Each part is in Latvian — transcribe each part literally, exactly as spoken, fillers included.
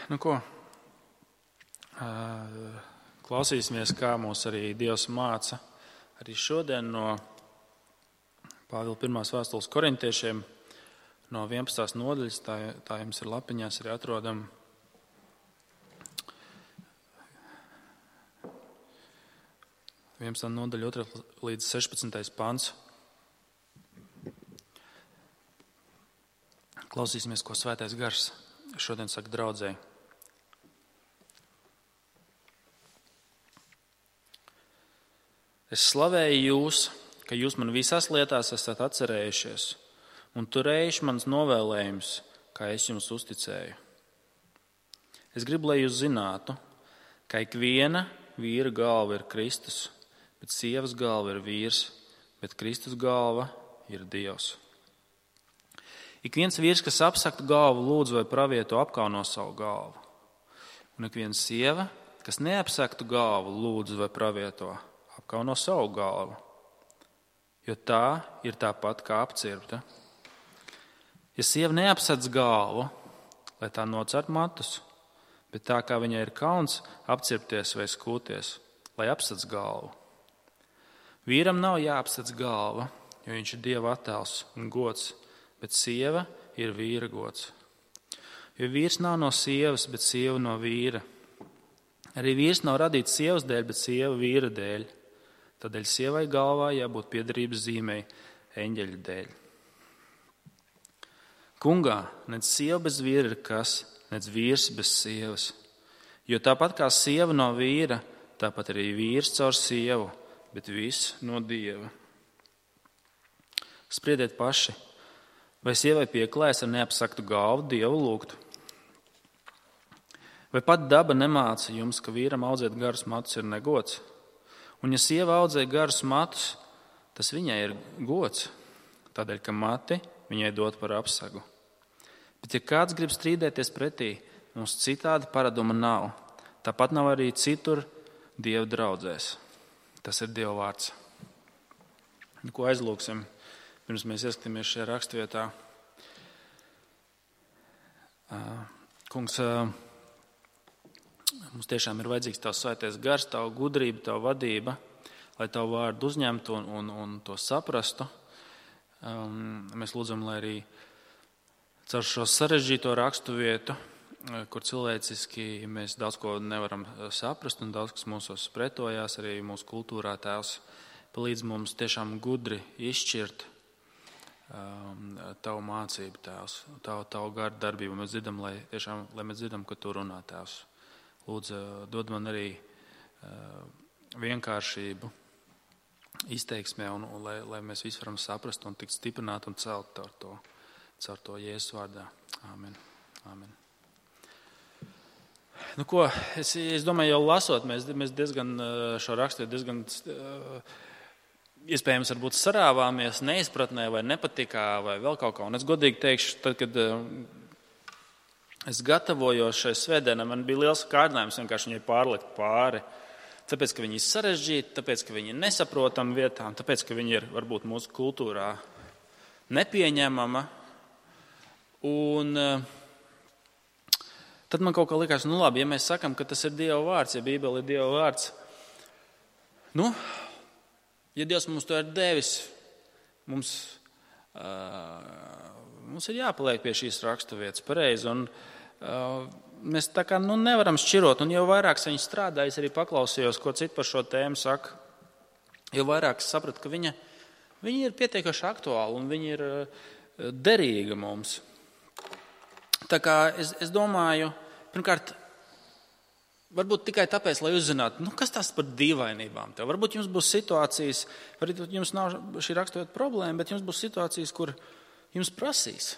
Nu ko, klausīsimies, kā mūs arī Dievs māca arī šodien no Pāvila pirmās vēstules korintiešiem no vienpadsmitās nodaļas, tā, tā jums ir lapiņās arī atrodam. vienpadsmitā nodaļa otrā līdz sešpadsmitais pants. Klausīsimies, ko Svētais Gars šodien saka draudzēji. Es slavēju jūs, ka jūs man visās lietās esat atcerējušies un turējuši mans novēlējums, kā es jums uzticēju. Es gribu, lai jūs zinātu, ka ik viena vīra galva ir Kristus, bet sievas galva ir vīrs, bet Kristus galva ir Dievs. Ik viens vīrs, kas apsaktu galvu, lūdzu vai pravieto, apkauno savu galvu. Un ik viena sieva, kas neapsaktu galvu, lūdzu vai pravieto, apkauno savu galvu. Jo tā ir tāpat kā apcirpta. Ja sieva neapsadz galvu, lai tā nocert matus, bet tā kā viņai ir kauns apcirpties vai skūties, lai apsadz galvu. Vīram nav jāapsadz galva, jo viņš ir Dieva attēls un gods, bet sieva ir vīra gods. Jo vīrs nav no sievas, bet sieva no vīra. Arī vīrs nav radīts sievas dēļ, bet sieva vīra dēļ. Tādēļ sievai galvā jābūt piederības zīmei eņģeļa dēļ. Kungā, nec sieva bez vīra ir kas, nec vīrs bez sievas. Jo tāpat kā sieva no vīra, tāpat arī vīrs caur sievu, bet viss no Dieva. Spriediet paši, vai sievai pieklājas ar neapsaktu galvu Dievu lūgtu? Vai pat daba nemāca jums, ka vīram audzēt garus matus ir negods? Un ja sieva audzē garus matus, tas viņai ir gods, tādēļ, ka mati viņai dot par apsagu. Bet ja kāds grib strīdēties pretī, mums citāda paraduma nav. Tāpat nav arī citur Dieva draudzēs. Tas ir Dieva vārds. Ko aizlūksim, pirms mēs ieskatāmies šajā rakstvietā? Kungs, mums tiešām ir vajadzīgs Tavs Svētais Gars, Tava gudrība, Tava vadība, lai Tavu vārdu uzņemtu un, un, un to saprastu. Um, mēs lūdzam, lai arī caur šo sarežģīto rakstu vietu, kur cilvēciski mēs daudz ko nevaram saprast un daudz kas mūsos pretojās, arī mūsu kultūrā Tēvs palīdz mums tiešām gudri izšķirt um, Tavu mācību, Tēvs, Tavu, tavu garu darbību. Mēs dzirdam, lai tiešām, lai mēs dzirdam, ka Tu runā, Tēvs. Lūdzu, dod man arī uh, vienkāršību izteiksmē, un, un lai, lai mēs visi varam saprast un tikt stiprināt un celt caur to, caur to Jēzus vārdā. Āmen. Āmen. Nu ko, es, es domāju, jau lasot, mēs, mēs diezgan šo rakstu diezgan uh, iespējams varbūt sarāvāmies neizpratnē vai nepatikā vai vēl kaut kā. Un es godīgi teikšu, tad, kad uh, es gatavojos šai svētdienai, man bija liels kārdinājums vienkārši viņai pārlikt pāri. Tāpēc, ka viņi ir sarežģīti, tāpēc, ka viņi ir nesaprotami vietām, tāpēc, ka viņi ir varbūt mūsu kultūrā nepieņemama. Un uh, tad man kaut kā likās, nu labi, ja mēs sakam, ka tas ir Dieva vārds, ja Bībele ir Dieva vārds, nu, ja Dievs mums to ir devis, mums, uh, mums ir jāpaliek pie šīs rakstu vietas pareizi. Un uh, mēs tā kā nu, nevaram šķirot, un jau vairāk es viņu strādāju, es arī paklausījos, ko citu par šo tēmu saka, jau vairāk es sapratu, ka viņa, viņa ir pietiekuši aktuāla un viņa ir uh, derīga mums. Tā kā es, es domāju, pirmkārt, varbūt tikai tāpēc, lai uzzinātu, nu, kas tās par dīvainībām tev. Varbūt jums būs situācijas, varbūt jums nav šī raksturota problēma, bet jums būs situācijas, kur jums prasīs.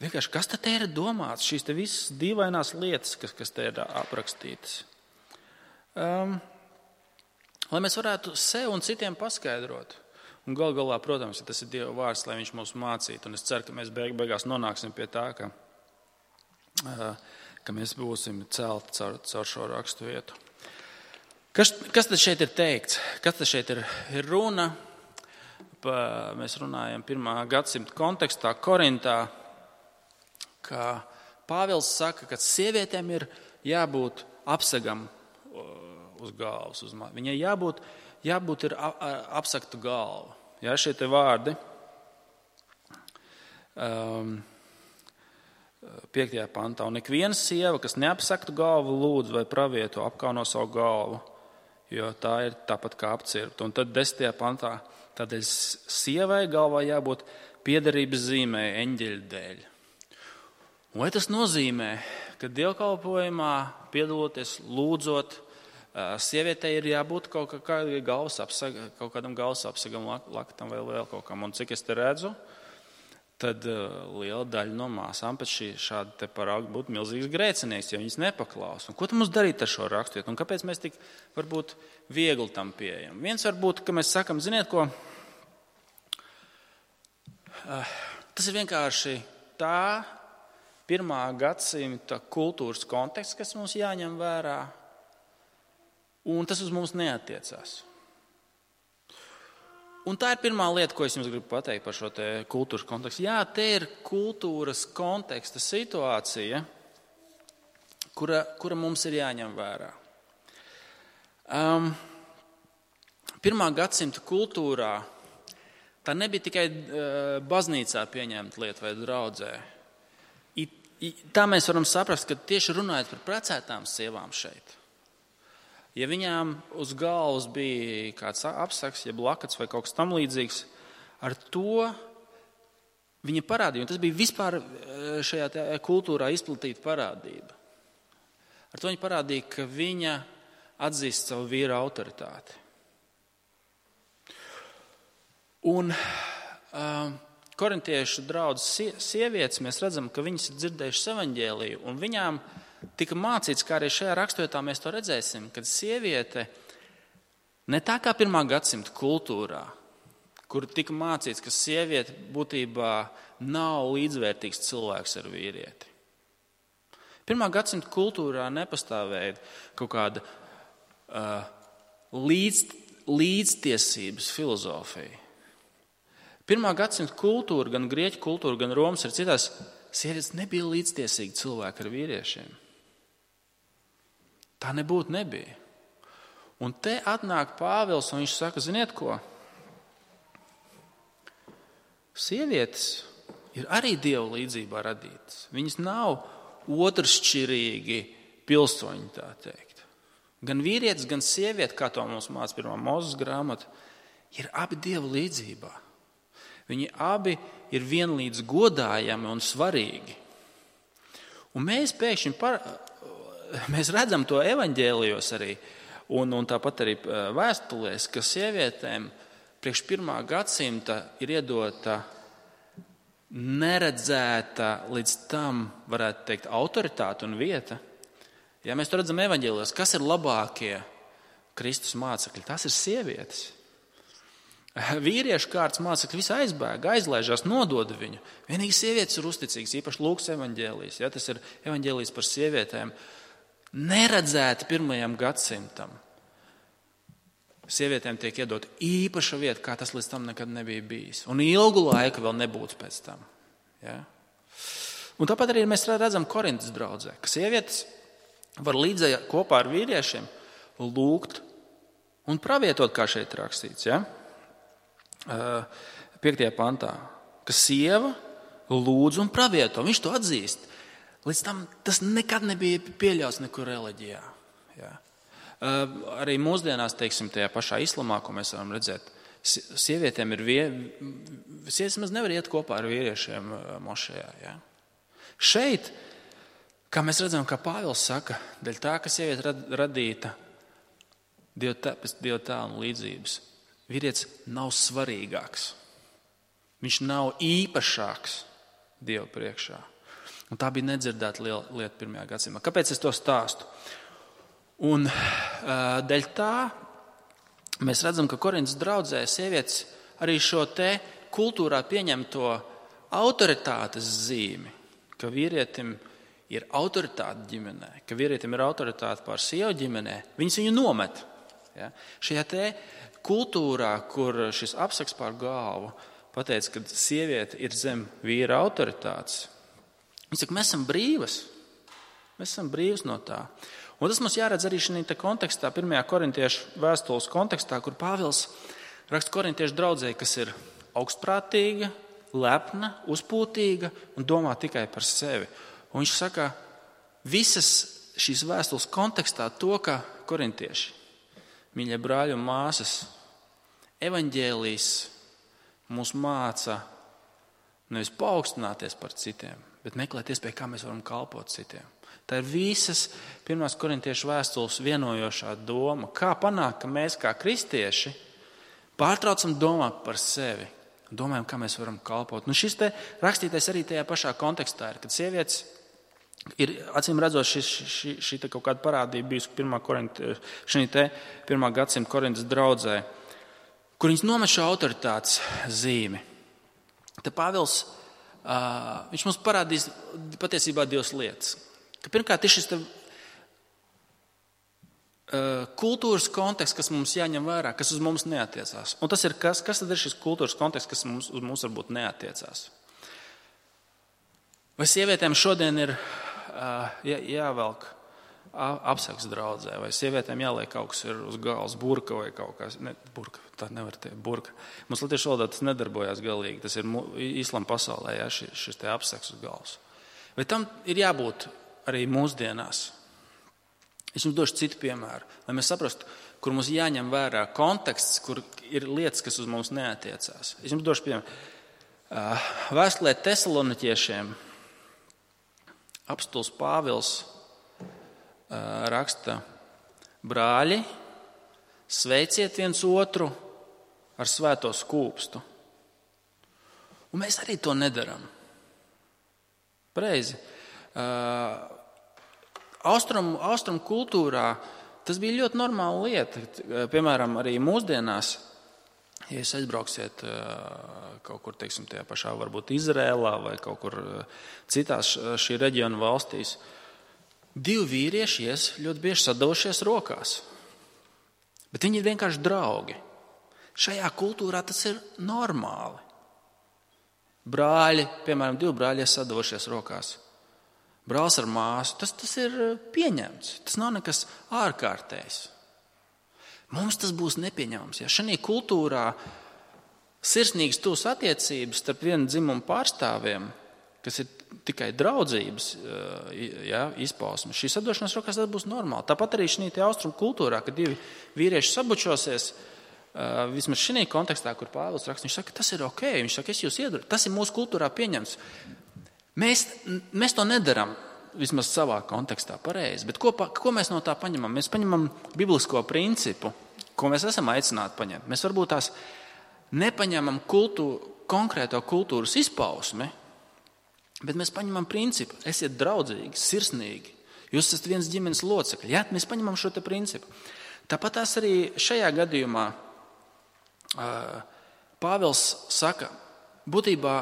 Vienkārši, kas te ir domāts, šīs te visas dīvainās lietas, kas, kas te ir aprakstītas. Um, lai mēs varētu sev un citiem paskaidrot. Un gal galā, protams, ja tas ir Dieva vārds, lai viņš mums mācītu. Un es ceru, ka mēs beig, beigās nonāksim pie tā, ka, ka mēs būsim celti caur, caur šo rakstu vietu. Kas, kas tad šeit ir teikts? Kas tad šeit ir, ir runa? Pa, mēs runājam pirmā gadsimta kontekstā, Korintā, ka Pāvils saka, ka sievietēm ir jābūt apsegam uz galvas. Uz mā. Viņai jābūt, jābūt ir apsaktu galvu. Jā, šie te vārdi. Um, piektajā pantā. Un ikviena sieva, kas neapsaktu galvu, lūdz vai pravieto, apkauno savu galvu, jo tā ir tāpat kā apcirpta. Un tad desmitajā pantā. Tādēļ sievai galvā jābūt piederības zīmē eņģeļa dēļ. Un vai tas nozīmē, ka dievkalpojumā piedaloties, lūdzot, sievietei ir jābūt kaut, kā, galvas apsag, kaut kādam galvas apsagam, laktam vai vēl kaut kam. Un cik es te redzu, tad liela daļa no māsām pēc šī šāda te parauga būtu milzīgs grēcinieks, ja viņas nepaklaus. Un ko tam mums darīt ar šo rakstiet? Un kāpēc mēs tik varbūt viegli tam pieejam? Viens varbūt, ka mēs sakam, ziniet ko, tas ir vienkārši tā pirmā gadsimta kultūras konteksts, kas mums jāņem vērā, un tas uz mums neatiecās. Un tā ir pirmā lieta, ko es jums gribu pateikt par šo te kultūras kontekstu. Jā, te ir kultūras konteksta situācija, kura, kura mums ir jāņem vērā. Um, pirmā gadsimta kultūrā tā nebija tikai uh, baznīcā pieņemta lieta vai draudzē. Tā mēs varam saprast, ka tieši runājot par precētām sievām šeit, ja viņām uz galvas bija kāds apsaks, jeb lakats vai kaut kas tam līdzīgs, ar to viņa parādīja, un tas bija vispār šajā kultūrā izplatīta parādība. Ar to viņa parādīja, ka viņa atzīst savu vīra autoritāti. Un um, korintiešu draudzes sievietes, mēs redzam, ka viņas ir dzirdējušas evaņģēliju, un viņām tika mācīts, kā arī šajā raksturvietā mēs to redzēsim, kad sieviete ne tā kā pirmā gadsimta kultūrā, kur tika mācīts, ka sieviete būtībā nav līdzvērtīgs cilvēks ar vīrieti. Pirmā gadsimta kultūrā nepastāvēja kaut kāda uh, līdz, līdztiesības filozofija. Pirmā gadsimta kultūra, gan grieķu kultūra, gan Romas ir citās, sievietes nebija līdztiesīgi cilvēki ar vīriešiem. Tā nebūtu nebija. Un te atnāk Pāvils un viņš saka, ziniet ko? Sievietes ir arī Dieva līdzībā radītas. Viņas nav otršķirīgi pilsoņi, tā teikt. Gan vīrietis, gan sieviete, kā to mums māca pirmā Mūzes grāmata, ir abi Dieva līdzībā. Viņi abi ir vienlīdz godājami un svarīgi. Un mēs pēkšņi par, mēs redzam to evaņģēlijos arī, un, un tāpat arī vēstulēs, ka sievietēm priekš pirmā gadsimta ir iedota neredzēta līdz tam, varētu teikt, autoritāte un vieta. Ja mēs to redzam evaņģēlijos, kas ir labākie Kristus mācekļi? Tas ir sievietes. Vīriešu kārtas mācekļi visi aizbēga, aizlaižās, nododa viņu. Vienīgi sievietes ir uzticīgas, īpaši Lūkas evaņģēlijs. Ja, tas ir evaņģēlijs par sievietēm. Neredzēti pirmajam gadsimtam. Sievietēm tiek iedot īpaša vieta, kā tas līdz tam nekad nebija bijis. Un ilgu laiku vēl nebūtu pēc tam. Ja? Un tāpat arī mēs redzam Korintas draudzē, ka sievietes var līdzēji kopā ar vīriešiem lūgt un pravietot, kā šeit rakstīts. Ja? piektajā pantā, ka sieva lūdz un pravieto. Viņš to atzīst. Līdz tam tas nekad nebija pieļauts nekur reliģijā. Jā. Arī mūsdienās, teiksim, tajā pašā islamā, ko mēs varam redzēt, sievietēm ir vie... sievietes maz nevar iet kopā ar vīriešiem mošajā. Jā. Šeit, kā mēs redzam, kā Pāvils saka, dēļ tā, ka sieviete radīta Dieva tēla un līdzības, vīrietis nav svarīgāks. Viņš nav īpašāks Dieva priekšā. Un tā bija nedzirdēta lieta pirmajā gadsimtā. Kāpēc es to stāstu? Un dēļ tā mēs redzam, ka Korintas draudzē sievietes arī šo te kultūrā pieņemto autoritātes zīmi, ka vīrietim ir autoritāte ģimenē, ka vīrietim ir autoritāte pār sievu ģimenē, viņas viņu nomet. Ja? Šajā te kultūrā, kur šis apsaks pār galvu pateica, ka sieviete ir zem vīra autoritātes, Viņš saka, mēs esam brīvas. Mēs esam brīvas no tā. Un tas mums jāredz arī šajā kontekstā, pirmajā korintiešu vēstules kontekstā, kur Pāvils raksta korintiešu draudzei, kas ir augstprātīga, lepna, uzpūtīga un domā tikai par sevi. Un viņš saka, visas šīs vēstules kontekstā to, ka korintieši, mīļie brāļi un māsas, evaņģēlijs mūs māca nevis paaugstināties par citiem, bet meklēt iespēju, kā mēs varam kalpot citiem. Tā ir visas pirmās korintiešu vēstules vienojošā doma. Kā panākt, ka mēs kā kristieši pārtraucam domāt par sevi, domājam, kā mēs varam kalpot. Nu, šis te rakstītais arī tajā pašā kontekstā ir, kad sievietes ir, acīm redzot, šī, šī, šī te kaut kāda parādība bijusi pirmā, korinti, šī te pirmā gadsimta Korintas draudzē, kur viņas nomet šo autoritātes zīmi. Te Pāvils, uh, viņš mums parādīs patiesībā divas lietas. Ka pirmkārt ir šis te, uh, kultūras konteksts, kas mums jāņem vērā, kas uz mums neatiecās. Un tas ir kas? Kas tad ir šis kultūras konteksts, kas mums, uz mums varbūt neatiecās? Vai sievietēm šodien ir uh, jā, jāvelk apseks draudzē, vai sievietēm jāliek kaut kas ir uz galvas, burka vai kaut kas? Ne, burka, tā nevar teikt, burka. Mums latviešu valodā tas nedarbojās galīgi. Tas ir islama pasaulē, jā, šis, šis te apseks uz galvas. Vai tam ir jābūt arī mūsdienās? Es jums došu citu piemēru, lai mēs saprastu, kur mums jāņem vērā konteksts, kur ir lietas, kas uz mums neatiecās. Es jums došu piemēru. Vēstulē Tesaloniķiešiem apostuls Pāvils raksta: brāļi, sveiciet viens otru ar svēto skūpstu. Un mēs arī to nedaram. Pareizi. Austrum, austrum kultūrā tas bija ļoti normāla lieta. Piemēram, arī mūsdienās, ja jūs aizbrauksiet kaut kur, teiksim, tajā pašā varbūt Izrēlā vai kaut kur citās šī reģiona valstīs, divi vīrieši ies ļoti bieži sadavušies rokās. Bet viņi ir vienkārši draugi. Šajā kultūrā tas ir normāli. Brāļi, piemēram, divi brāļi ies sadavušies rokās. Brālis ar māsu, tas, tas ir pieņemts. Tas nav nekas ārkārtējs. Mums tas būs nepieņemams. Ja šajā kultūrā sirsnīgas tuvas attiecības starp vienu dzimumu pārstāvjiem, kas ir tikai draudzības ja, izpausme, šī sadošanās rokās tas būs normāli. Tāpat arī šajā austrumu kultūrā, kad divi vīrieši sabučosies, vismaz šajā kontekstā, kur Pāvils raksta, viņš saka, tas ir ok, viņš saka, es jūs iedaru, tas ir mūsu kultūrā pieņemts. Mēs, mēs to nedaram vismaz savā kontekstā pareizi, bet ko, ko mēs no tā paņemam? Mēs paņemam biblisko principu, ko mēs esam aicināti paņemt. Mēs varbūt tās nepaņemam kultūru, konkrēto kultūras izpausmi, bet mēs paņemam principu. Esiet draudzīgi, sirsnīgi. Jūs esat viens ģimenes locekļi. Ja? Mēs paņemam šo te principu. Tāpat tās arī šajā gadījumā Pāvils saka, būtībā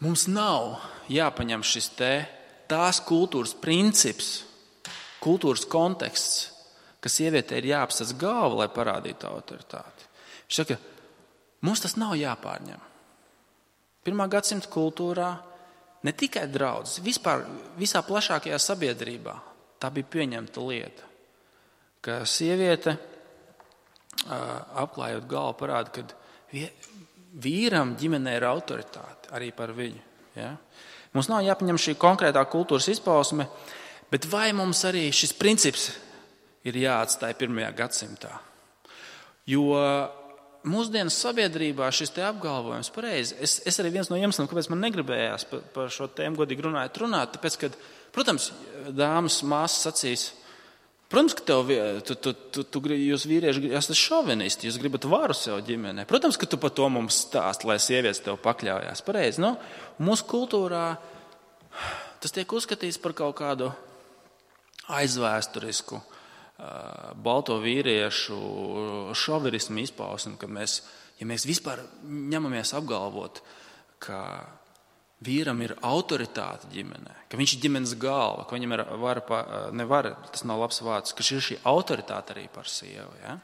mums nav jāpaņem šis te tās kultūras princips, kultūras konteksts, ka sievietei ir jāapsēc galva, lai parādītu autoritāti. Viņš saka, mums tas nav jāpārņem. Pirmā gadsimta kultūrā ne tikai draudzes, vispār visā plašākajā sabiedrībā tā bija pieņemta lieta, ka sieviete apklājot galvu parāda, ka vīram ģimenē ir autoritāte arī par viņu. Ja? Mums nav jāpaņem šī konkrētā kultūras izpausme, bet vai mums arī šis princips ir jāatstāj pirmajā gadsimtā? Jo mūsdienas sabiedrībā šis te apgalvojums pareizi. Es, es arī viens no iemesliem, kāpēc man negribējās par, par šo tēmu godīgi runājot, runāt, tāpēc, ka, protams, dāmas, māsas sacīs, protams, ka tev, tu, tu, tu, tu, jūs vīrieši esat šovinisti, jūs gribat varu sev ģimenē. Protams, ka tu par to mums stāst, lai sievietes tev pakļaujās. Pareizi, no? Mūsu kultūrā tas tiek uzskatīts par kaut kādu aizvēsturisku, uh, balto vīriešu šovinismu izpausmi, kad mēs, ja mēs vispār ņemamies apgalvot, ka vīram ir autoritāte ģimenē, ka viņš ir ģimenes galva, ka viņam ir vara, ne vara, tas nav labs vārds, ka ir šī autoritāte arī par sievu. Ja?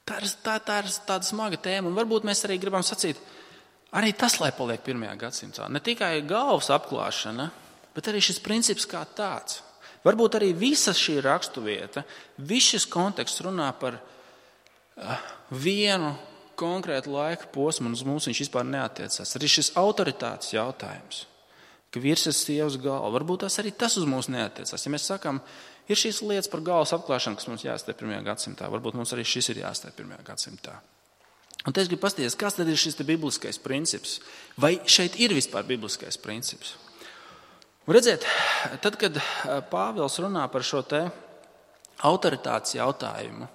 Tā, ir, tā, tā ir tāda smaga tēma, un varbūt mēs arī gribam sacīt, Arī tas, lai paliek pirmajā gadsimtā. Ne tikai galvas apklāšana, bet arī šis princips kā tāds. Varbūt arī visa šī raksturvieta, viss šis konteksts runā par uh, vienu konkrētu laika posmu, un uz mums viņš vispār neatiecās. Arī šis autoritātes jautājums, ka vīrs ir sievas galva, varbūt tas arī tas uz mums neatiecās. Ja mēs sakām, ir šīs lietas par galvas apklāšanu, kas mums jāstāj pirmajā gadsimtā, varbūt mums arī šis ir jāstāj pirmajā gadsimtā. Un te es gribu paskatīties, kas tad ir šis te bibliskais princips? Vai šeit ir vispār bibliskais princips? Un redziet, tad, kad Pāvils runā par šo te autoritātes jautājumu,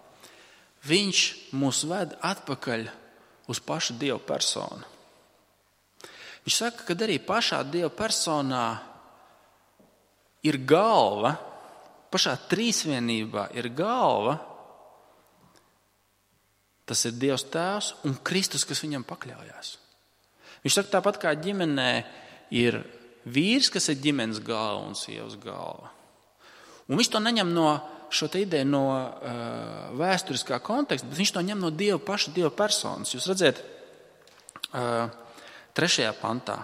viņš mūs ved atpakaļ uz pašu Dieva personu. Viņš saka, ka arī pašā Dieva personā ir galva, pašā trīsvienībā ir galva, tas ir Dievs Tēvs un Kristus, kas viņam pakļaujās. Viņš saka, tāpat kā ģimenē ir vīrs, kas ir ģimenes galva un sievas galva. Un viņš to neņem no šo te ideju no uh, vēsturiskā konteksta, bet viņš to ņem no Dieva paša Dieva personas. Jūs redzat, uh, trešajā pantā.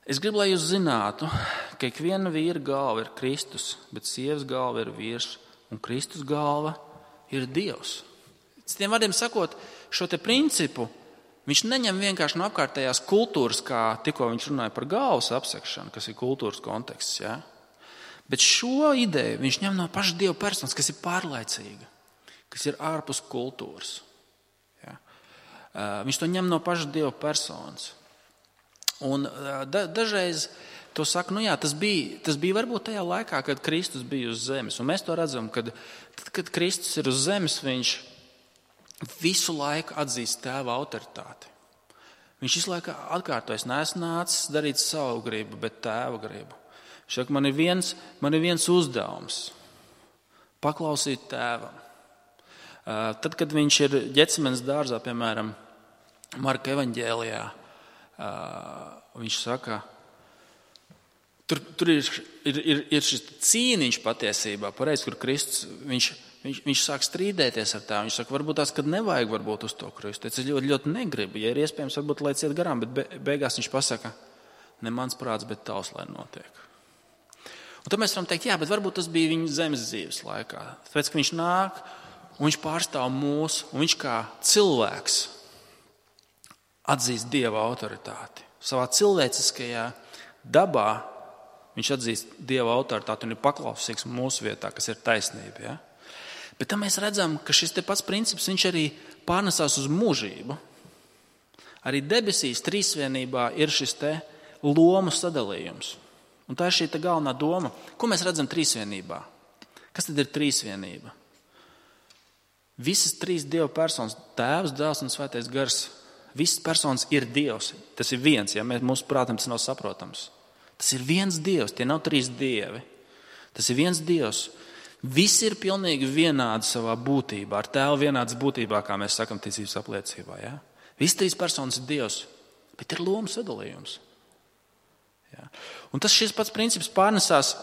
Es gribu, lai jūs zinātu, ka ikviena vīra galva ir Kristus, bet sievas galva ir vīrs, un Kristus galva ir Dievs. Citiem vārdiem sakot, šo te principu viņš neņem vienkārši no apkārtējās kultūras, kā tikko viņš runāja par galvas apsekšanu, kas ir kultūras konteksts. Ja? Bet šo ideju viņš ņem no paša Dieva personas, kas ir pārlaicīga, kas ir ārpus kultūras. Ja? Viņš to ņem no paša Dieva personas. Un da, dažreiz to saka, nu jā, tas bija, tas bija varbūt tajā laikā, kad Kristus bija uz zemes. Un mēs to redzam, kad, tad, kad Kristus ir uz zemes, viņš visu laiku atzīst Tēva autoritāti. Viņš visu laiku atkārtojas, neesmu nācis darīt savu gribu, bet Tēva gribu. Viņš saka, man ir viens, man ir viens uzdevums – paklausīt Tēvam. Tad, kad viņš ir Ģetsemenes dārzā, piemēram, Marka evaņģēlijā, viņš saka, tur, tur ir, ir, ir, ir šis cīniņš patiesībā, pareiz, kur Kristus, viņš, viņš, viņš sāk strīdēties ar tā. Viņš saka, varbūt tās, kad nevajag varbūt uz to Kristu. Es ļoti, ļoti negribu, ja ir iespējams, varbūt lai ciet garām, bet be, beigās viņš pasaka, ne mans prāts, bet tavs, lai notiek. Un tad mēs varam teikt, jā, bet varbūt tas bija viņa zemes dzīves laikā. Tāpēc, ka viņš nāk un viņš pārstāv mūs, un viņš kā cilvēks atzīst Dieva autoritāti. Savā cilvēciskajā dabā viņš atzīst Dieva autoritāti un ir paklausīgs mūsu vietā, kas ir taisnība. Ja? Bet tam mēs redzam, ka šis te pats princips viņš arī pārnesās uz mūžību. Arī debesīs trīsvienībā ir šis te lomu sadalījums. Un tā ir šī te galvenā doma. Ko mēs redzam trīsvienībā? Kas tad ir trīsvienība? Visas trīs Dieva personas, Tēvs, Dēls un Svētais Gars, visas personas ir Dievs. Tas ir viens, ja mēs mūsu prātam tas nav saprotams. Tas ir viens Dievs, tie nav trīs dievi. Tas ir viens Dievs. Visi ir pilnīgi vienādi savā būtībā, ar Tēvu vienādas būtībā, kā mēs sakam ticības apliecībā. Ja? Visas trīs personas ir Dievs, bet ir lomu sadalījums. Ja? Un tas šis pats princips pārnesās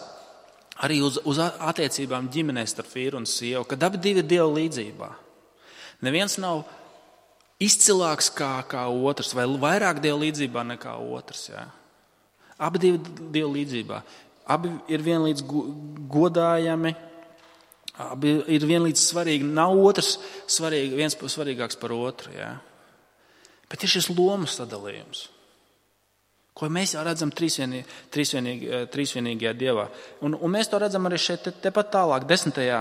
arī uz, uz attiecībām ģimenē starp vīru un sievu, kad abi divi ir Dieva līdzībā. Neviens nav izcilāks kā, kā otrs, vai vairāk Dieva līdzībā nekā otrs. Ja? Abi divi Dieva līdzībā. Abi ir vienlīdz godājami, abi ir vienlīdz svarīgi. Nav otrs svarīgi, viens svarīgāks par otru. Ja? Bet ir šis lomu sadalījums, ko mēs jau redzam trīsvienī, trīsvienīgi, trīsvienīgajā Dievā. Un, un mēs to redzam arī šeit tepat te tālāk, desmitajā,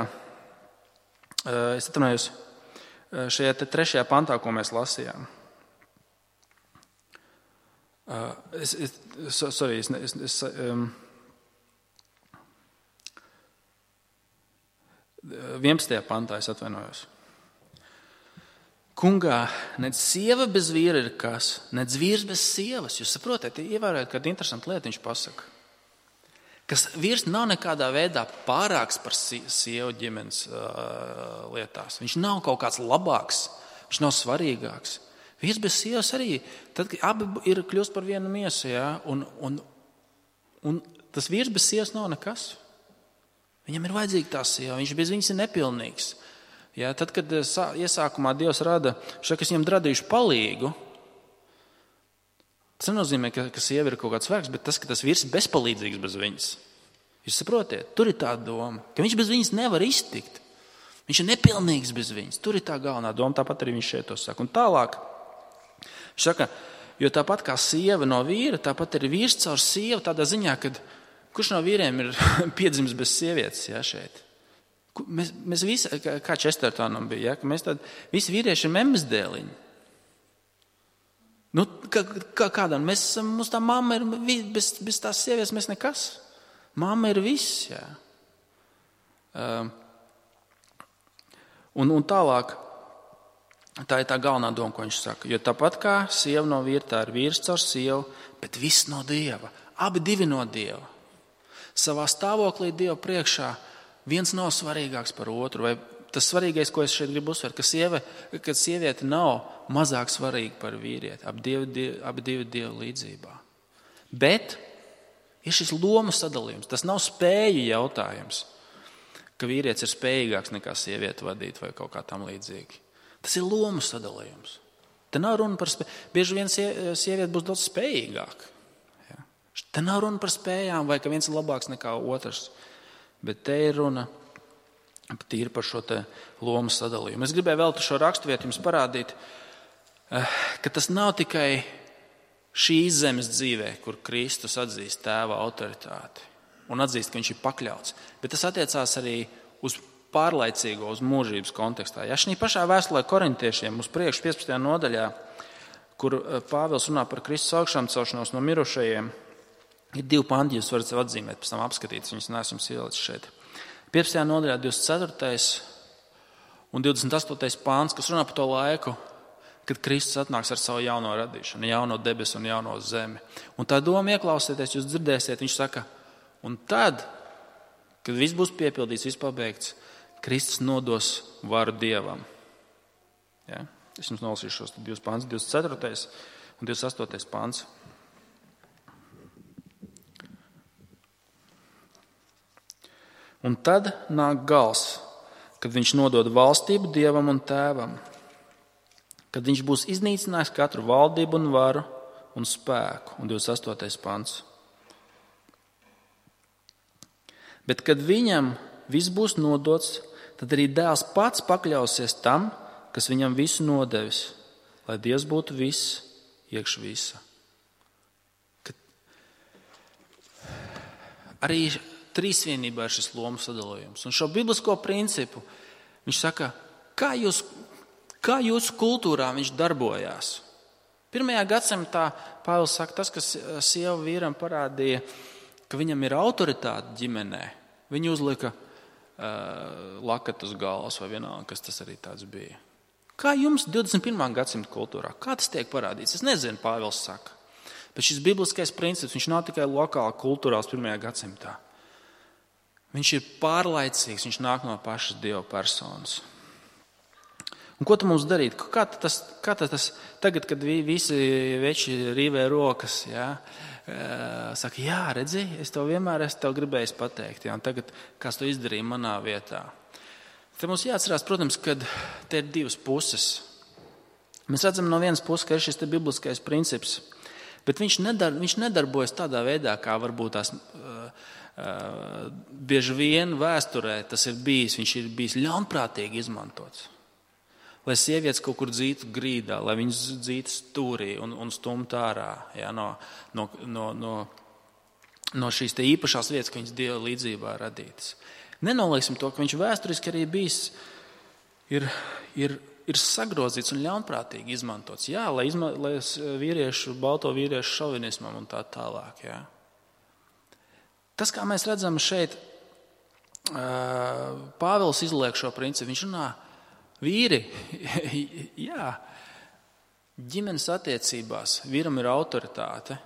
es atvainojos, šajā te trešajā pantā, ko mēs lasījām. Es, es, sorry, es, es, es um, vienpadsmitajā pantā es atvainojos. Kungā, nec sieva bez vīra ir kas, nec vīrs bez sievas. Jūs saprotat, ievērojat, kāda interesanta lieta viņš pasaka. Kas vīrs nav nekādā veidā pārāks par sievu ģimenes uh, lietās. Viņš nav kaut kāds labāks, viņš nav svarīgāks. Vīrs bez sievas arī, tad abi ir kļūst par vienu miesu, ja? un, un, un tas vīrs bez sievas nav nekas. Viņam ir vajadzīga tā sieva, viņš bez viņas ir nepilnīgs. Ja, tad, kad iesākumā Dievs rada šo, kas viņam radījuši palīgu, Tas nenozīmē, ka, ka sieva ir kaut kāds vērks, bet tas, ka tas vīrs ir bezpalīdzīgs bez viņas. Jūs saprotiet, tur ir tā doma, ka viņš bez viņas nevar iztikt. Viņš ir nepilnīgs bez viņas. Tur ir tā galvenā doma, tāpat arī viņš šeit to saka. Un tālāk, viņš saka, jo tāpat kā sieva no vīra, tāpat arī vīrs caur sievu tādā ziņā, ka kurš no vīriem ir piedzimis bez sievietes, ja, šeit? Mēs, mēs visi, kā Čestertonam bija, ja, ka mēs tādi, visi vīrieši ir memmes dēliņi. Nu, kā, kā, kādam, mēs esam, mums tā mamma ir, bez, bez tās sievietes mēs nekas. Mamma ir viss, jā. Um, un, un tālāk, tā ir tā galvenā doma, ko viņš saka. Jo tāpat kā sieva no vīra, tā ir vīrs caur sievu, bet viss no Dieva. Abi divi no Dieva. Savā stāvoklī Dieva priekšā viens nav svarīgāks par otru. Vai tas svarīgais, ko es šeit gribu uzsvērt, ka, sieve, ka sieviete nav mazāk svarīga par vīrieti. Abi divi, divi, abi divi Dieva līdzībā. Bet ir šis lomu sadalījums. Tas nav spēju jautājums, ka vīrietis ir spējīgāks nekā sieviete vadīt vai kaut kā tam līdzīgi. Tas ir lomu sadalījums. Te nav runa par spēju. Bieži vien sieviete būs daudz spējīgāka. Ja? Te nav runa par spējām vai ka viens ir labāks nekā otrs. Bet te ir runa tīri par šo te lomu sadalījumu. Es gribēju vēl šo raksturvietu jums parādīt, ka tas nav tikai šīs zemes dzīvē, kur Kristus atzīst tēva autoritāti un atzīst, ka viņš ir pakļauts, bet tas attiecās arī uz pārlaicīgo, uz mūžības kontekstā. Ja šī pašā vēstulē korintiešiem uz priekšu piecpadsmitajā nodaļā, kur Pāvils runā par Kristus augšām celšanos no mirušajiem, ir divi panti, jūs varat sev atzīmēt, pēc tam apskatīt, viņus neesam ielicis šeit. piecpadsmitajā nodaļā divdesmit ceturtais un divdesmit astotais pāns, kas runā par to laiku, kad Kristus atnāks ar savu jauno radīšanu, jauno debesu un jauno zemi. Un tā doma ieklausieties, jūs dzirdēsiet, viņš saka, un tad, kad viss būs piepildīts, viss pabeigts, Kristus nodos varu Dievam. Ja? Es jums nolasīšu šos divus pāns, divdesmit ceturtais un divdesmit astotais pāns. Un tad nāk gals, kad viņš nodod valstību Dievam un Tēvam, kad viņš būs iznīcinājis katru valdību un varu un spēku. Un divdesmit astotais pants. Bet kad viņam viss būs nodots, tad arī dēls pats pakļausies tam, kas viņam visu nodevis, lai Dievs būtu viss iekš visa. Kad arī trīsvienībā ir šis lomu sadalījums. Un šo biblisko principu viņš saka, kā, jūs, kā jūsu kultūrā viņš darbojās. Pirmajā gadsimtā Pāvils saka, tas, kas sieva vīram parādīja, ka viņam ir autoritāte ģimenē. Viņu uzlika uh, lakat uz galvas vai vienalga, kas tas arī tāds bija. Kā jums divdesmit pirmā gadsimta kultūrā? Kā tas tiek parādīts? Es nezinu, Pāvils saka. Bet šis bibliskais princips, viņš nav tikai lokāli kultūrās pirmajā gadsimtā. Viņš ir pārlaicīgs, viņš nāk no pašas Dieva personas. Un ko tu mums darīt? Kā tas, kā tas tagad, kad visi veči rīvē rokas, jā, saka, jā, redzi, es tev vienmēr esmu tev gribējis pateikt, jā, un tagad kāds to izdarīja manā vietā. Te mums jāatcerās, protams, ka te ir divas puses. Mēs redzam no vienas puses, ka ir šis te bibliskais princips, bet viņš, nedar, viņš nedarbojas tādā veidā, kā varbūt tās uh, uh, bieži vien vēsturē tas ir bijis. Viņš ir bijis ļaunprātīgi izmantots. Lai sievietes kaut kur dzītu grīdā, lai viņas dzītu stūrī un, un stumt ārā, jā, no, no, no, no, no šīs te īpašās vietas, ka viņas Dieva līdzībā radītas. Nenolieksim to, ka viņš vēsturiski arī bijis, ir, ir, ir sagrozīts un ļaunprātīgi izmantots. Jā, lai, izma, lai vīriešu, balto vīriešu šovinismam un tā tālāk. Jā. Tas, kā mēs redzam šeit, Pāvils izliek šo principu. Viņš runā, vīri, jā, ģimenes attiecībās vīram ir autoritāte,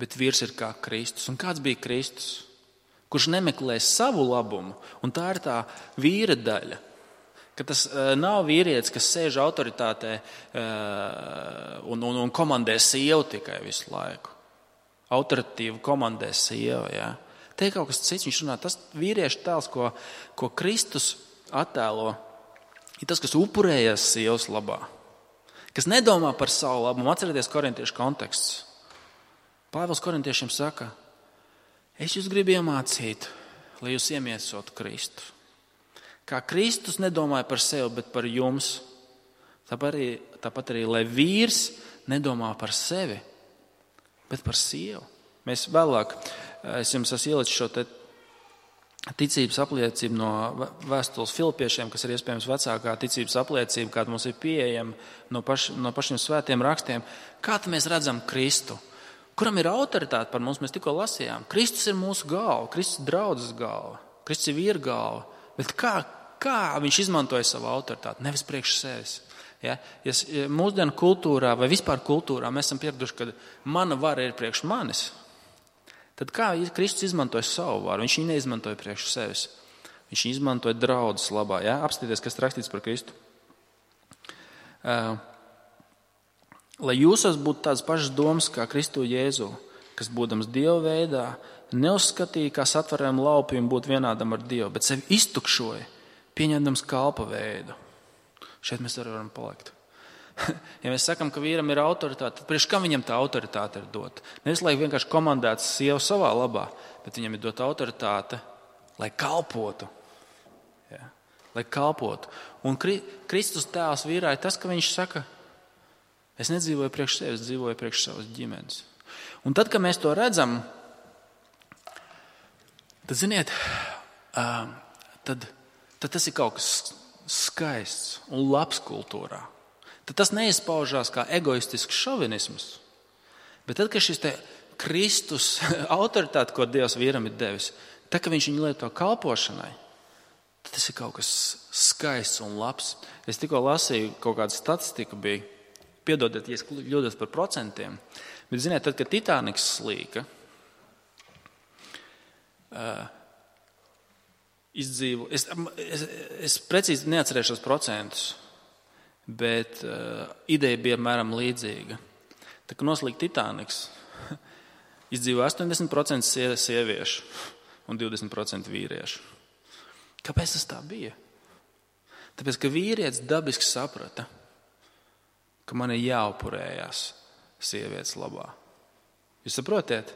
bet vīrs ir kā Kristus. Un kāds bija Kristus? Kurš nemeklē savu labumu, un tā ir tā vīra daļa. Ka tas nav vīrietis, kas sēž autoritātē un, un, un komandē sievu tikai visu laiku. Autoritīvi komandē sievu, jā. Te ir kaut kas cits, viņš runā, tas vīriešu tēls, ko, ko Kristus attēlo, ir tas, kas upurējas sievas labā. kas nedomā par savu labumu. Atcerieties korintiešu konteksts. Pāvils korintiešiem saka, es jūs gribu iemācīt, lai jūs iemiesotu Kristu. Kā Kristus nedomāja par sevi, bet par jums. Tāpat arī, tāpat arī, lai vīrs nedomā par sevi, bet par sievu. Mēs vēlāk, es jums esmu ielicis šo te ticības apliecību no vēstules Filipiešiem, kas ir iespējams vecākā ticības apliecība, kāda mums ir pieejama no, paš, no pašiem svētiem rakstiem. Kā tad mēs redzam Kristu? Kuram ir autoritāte par mums? Mēs tikko lasījām. Kristus ir mūsu galva, Kristus ir draudzes galva, Kristus ir vīra galva. Bet kā, kā viņš izmantoja savu autoritāti? Nevis priekš sevis. Ja? Ja mūsdienu kultūrā vai vispār kultūrā mēs esam pieraduši, ka mana vara ir priekš manis, tad kā Kristus izmantoja savu varu? Viņš viņu neizmantoja priekš sevis. Viņš viņu izmantoja draudzes labā. Ja? Apstāties, kas rakstīts par Kristu. Uh, lai jūsos būtu tādas pašas domas kā Kristu Jēzu, kas būdams Dieva veidā, neuzskatīja, kā satveram laupījumu būt vienādam ar Dievu, bet sevi iztukšoja, pieņemdams kalpa veidu. Šeit mēs arī varam palikt. Ja mēs sakam, ka vīram ir autoritāte, tad priekš kam viņam tā autoritāte ir dot? Nevis, lai vienkārši komandētu sievu savā labā, bet viņam ir dot autoritāte, lai kalpotu. Ja? Lai kalpotu. Un Kristus tēls vīrā ir tas, ka viņš saka, es nedzīvoju priekš sevis, es dzīvoju priekš savas ģimenes. Un tad, kad mēs to redzam, tad, ziniet, tad, tad tas ir kaut kas skaists un labs kultūrā. Tad tas neizpaužās kā egoistisks šovinisms. Bet tad, kad šis te Kristus autoritāte, ko Dievs vīram ir devis, tad, kad viņš viņu lieto kalpošanai, tad tas ir kaut kas skaists un labs. Es tikko lasīju, kaut kāda statistika bija, piedodiet, ja es kļūdos par procentiem, bet, ziniet, tad, kad Titaniks slīka, uh, izdzīvo, es, es, es precīzi neatcerēšos procentus, bet uh, ideja bija apmēram līdzīga. Tā, kad noslīka Titaniks, izdzīvo astoņdesmit procenti sieviešu un divdesmit procenti vīriešu. Kāpēc tas tā bija? Tāpēc, ka vīrietis dabiski saprata, ka man ir jāupurējās sievietes labā. Jūs saprotiet?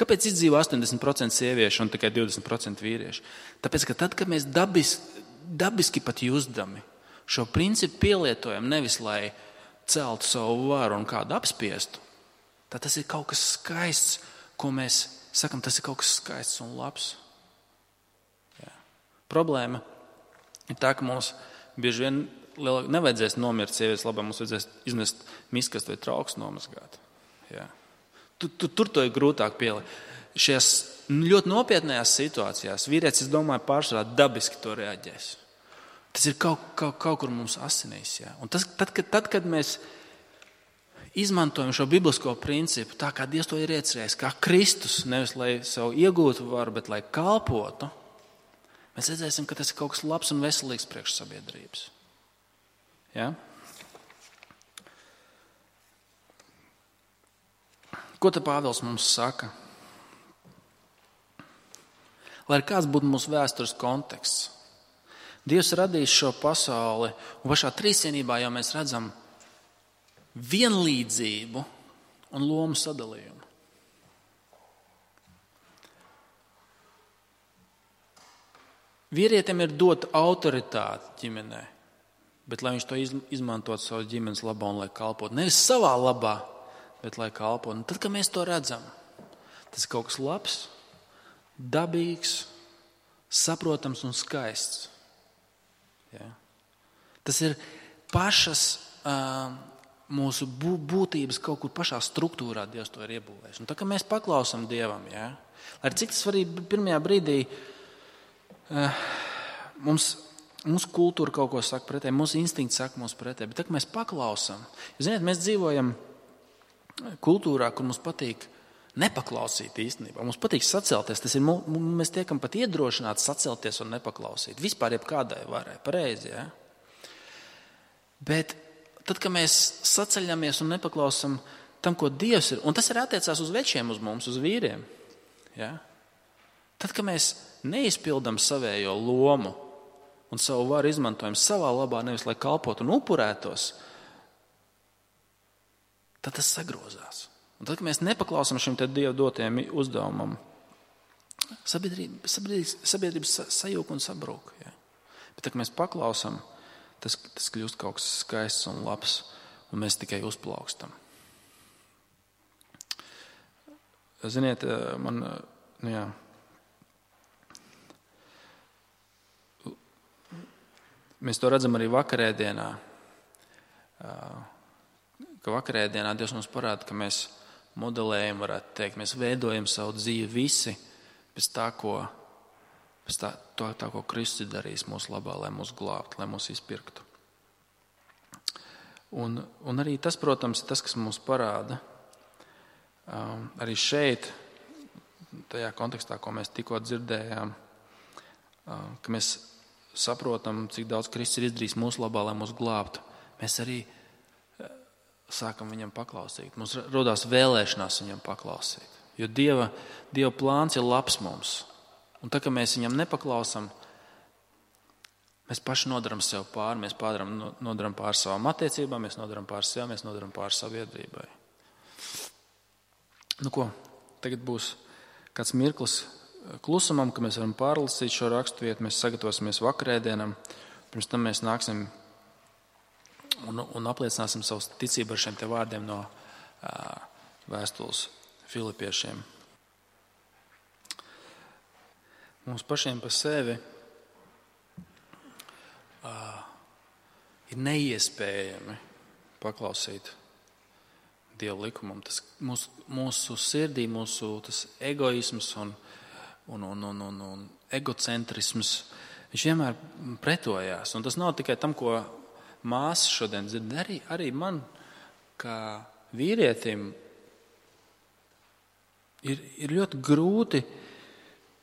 Kāpēc izdzīvo astoņdesmit procenti sieviešu un tikai divdesmit procenti vīriešu? Tāpēc, ka tad, kad mēs dabis, dabiski pat jūzdami šo principu pielietojam nevis, lai celtu savu varu un kādu apspiestu, tad tas ir kaut kas skaists, ko mēs sakam, tas ir kaut kas skaists un labs. Jā. Problēma ir tā, ka mums bieži vien nevajadzēs nomirt sievietes labā, mums vajadzēs iznest miskastu vai trauks nomazgāt. Jā. Tur, tur, tur to ir grūtāk pielikt. Šajās ļoti nopietnējās situācijās vīrietis, es domāju, pārsvarā dabiski to reaģēs. Tas ir kaut, kaut, kaut kur mums asinīs. Jā. Un tas, tad, kad, tad, kad mēs izmantojam šo biblisko principu, tā kā Dievs to ir iecerējis, kā Kristus, nevis lai sev iegūtu varu, bet lai kalpotu, mēs redzēsim, ka tas ir kaut kas labs un veselīgs priekš sabiedrības. Ja? Ko te Pāvils mums saka? Lai kāds būtu mūsu vēstures konteksts, Dievs radīs šo pasauli, un pašā trīsvienībā jau mēs redzam vienlīdzību un lomu sadalījumu. Vīrietim ir dota autoritāte ģimenē, bet lai viņš to izmantot savas ģimenes labā un lai kalpot. Nevis savā labā, bet lai kalpot. Un tad, kad mēs to redzam, tas ir kaut kas labs, dabīgs, saprotams un skaists. Ja? Tas ir pašas uh, mūsu būtības kaut kur pašā struktūrā Dievs to ir iebūvējis. Un tā, kad mēs paklausam Dievam, ja? Lai cik tas arī pirmajā brīdī uh, mums Mūsu kultūra kaut ko saka pretēji, mūsu instinkts saka mums pretēji, bet tā, ka mēs paklausam, ziniet, mēs dzīvojam kultūrā, kur mums patīk nepaklausīt īstenībā. Mums patīk sacelties, tas ir, mēs tiekam pat iedrošināti sacelties un nepaklausīt. Vispār jebkādai varai, pareizi, ja? Bet tad, kad mēs saceļamies un nepaklausam tam, ko Dievs ir, un tas ir attiecās uz večiem, uz mums, uz vīriem, ja? Tad, kad mēs neizpildam savējo lomu, un savu varu izmantojam savā labā, nevis lai kalpotu un upurētos, tad tas sagrozās. Un tad, kad mēs nepaklausām šim te Dieva dotajam uzdevumam, sabiedrība, sabiedrības, sabiedrības sajūg un sabrūk. Ja? Bet, tad, kad mēs paklausām, tas, tas kļūst kaut kas skaists un labs, un mēs tikai uzplaukstam. Ziniet, man, nu jā, mēs to redzam arī vakarēdienā, ka vakarēdienā Dievs mums parāda, ka mēs modelējam, varētu teikt, mēs veidojam savu dzīvi visi pēc tā, ko, pēc tā, tā, tā, ko Kristus darīs mūsu labā, lai mūs glābtu, lai mūs izpirktu. Un, un arī tas, protams, tas, kas mums parāda, um, arī šeit, tajā kontekstā, ko mēs tikko dzirdējām, um, ka mēs saprotam, cik daudz Kristus ir izdarījis mūsu labā, lai mūs glābtu, mēs arī sākam viņam paklausīt. Mums rodās vēlēšanās viņam paklausīt. Jo Dieva, Dieva plāns ir labs mums. Un tā, ka mēs viņam nepaklausam, mēs paši nodaram sev pāri, mēs pārdaram, nodaram pāri savām attiecībām, mēs nodaram pāri sev, mēs nodaram pāri sabiedrībai. Nu ko, tagad būs kāds mirklis klusumam, ka mēs varam pārlasīt šo raksturvietu, mēs sagatavosimies vakarēdienam, pirms tam mēs nāksim Un, un apliecināsim savu ticību ar šiem te vārdiem no uh, vēstules Filipiešiem. Mums pašiem pa sevi uh, ir neiespējami paklausīt Dieva likumam. Tas mūsu, mūsu sirdī, mūsu tas egoisms un, un, un, un, un, un egocentrisms, viņš vienmēr pretojās. Un tas nav tikai tam, ko māsas šodien dzird, arī, arī man, kā vīrietim, ir, ir ļoti grūti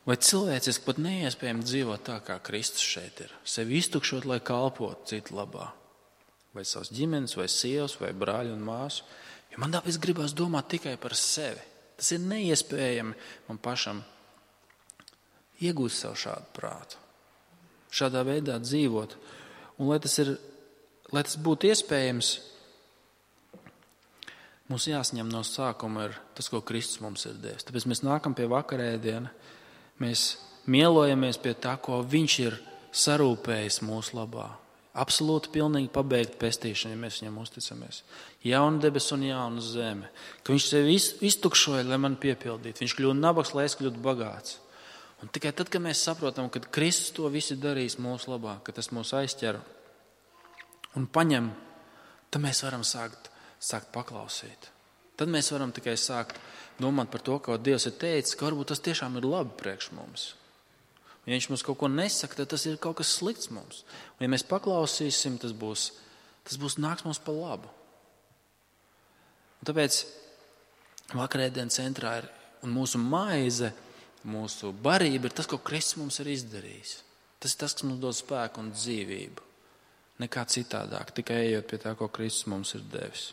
vai cilvēciski pat neiespējami dzīvot tā, kā Kristus šeit ir. Sevi iztukšot, lai kalpotu citu labā. Vai savas ģimenes, vai sievas, vai brāļu un māsu. Jo man tāpēc gribās domāt tikai par sevi. Tas ir neiespējami man pašam iegūt sev šādu prātu. Šādā veidā dzīvot. Un lai tas ir Lai tas būtu iespējams, mums jāsaņem no sākuma ir tas, ko Kristus mums ir devis. Tāpēc mēs nākam pie vakarēdiena, mēs mielojamies pie tā, ko viņš ir sarūpējis mūsu labā. Absolūti pilnīgi pabeigt pestīšanu, ja mēs viņam uzticamies. Jauna debes un jauna zeme. Ka viņš sevi iztukšoja, lai man piepildītu. Viņš kļūtu nabaks, lai es kļūtu bagāts. Un tikai tad, kad mēs saprotam, ka Kristus to visu darīs mūsu labā, ka tas mūs aizķer un paņem, tad mēs varam sākt, sākt paklausīt. Tad mēs varam tikai sākt domāt par to, ko Dievs ir teicis, ka varbūt tas tiešām ir labi priekš mums. Un ja viņš mums kaut ko nesaka, tad tas ir kaut kas slikts mums. Un ja mēs paklausīsim, tas būs, tas būs nāks mums pa labu. Un tāpēc vakarēdienas centrā ir un mūsu maize, mūsu barība ir tas, ko Kristus mums ir izdarījis. Tas ir tas, kas mums dod spēku un dzīvību. Nekā citādāk, tikai ejot pie tā, ko Kristus mums ir devis.